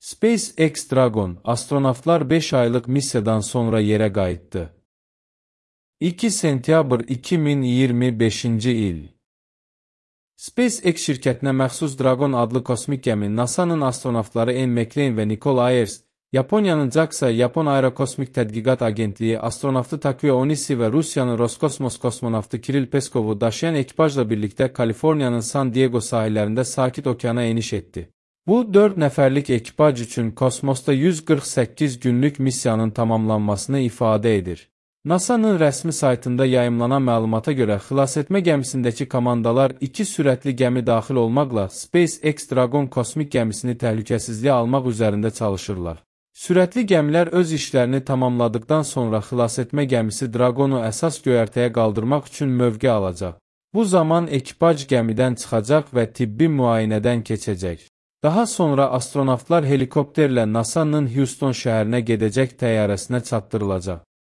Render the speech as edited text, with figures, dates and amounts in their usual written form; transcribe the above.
SpaceX Dragon, astronavtlar 5 aylıq missiyadan sonra yerə qayıtdı. 2 sentyabr 2025-ci il. SpaceX şirkətinə məxsus Dragon adlı kosmik gəmi NASA-nın astronavtları N. McClain və Nicole Ayers, Yaponiyanın JAXA, Yapon Aerokosmik Tədqiqat Agentliyi astronavtı Takeo Onishi və Rusiyanın Roskosmos kosmonavtı Kiril Peskovu daşıyan ekipajla birlikdə Kaliforniyanın San Diego sahillərində Sakit Okeana eniş etdi. Bu, 4 nəfərlik ekipaj üçün kosmosda 148 günlük missiyanın tamamlanmasını ifadə edir. NASA-nın rəsmi saytında yayımlanan məlumata görə xilasetmə gəmisindəki komandalar 2 sürətli gəmi daxil olmaqla SpaceX Dragon kosmik gəmisini təhlükəsizliyə almaq üzərində çalışırlar. Sürətli gəmilər öz işlərini tamamladıqdan sonra xilasetmə gəmisi Dragonu əsas göyərtəyə qaldırmaq üçün mövqe alacaq. Bu zaman ekipaj gəmidən çıxacaq və tibbi müayinədən keçəcək. Daha sonra astronavtlar helikopterlə NASA-nın Houston şəhərinə gedəcək təyyarəsinə çatdırılacaq.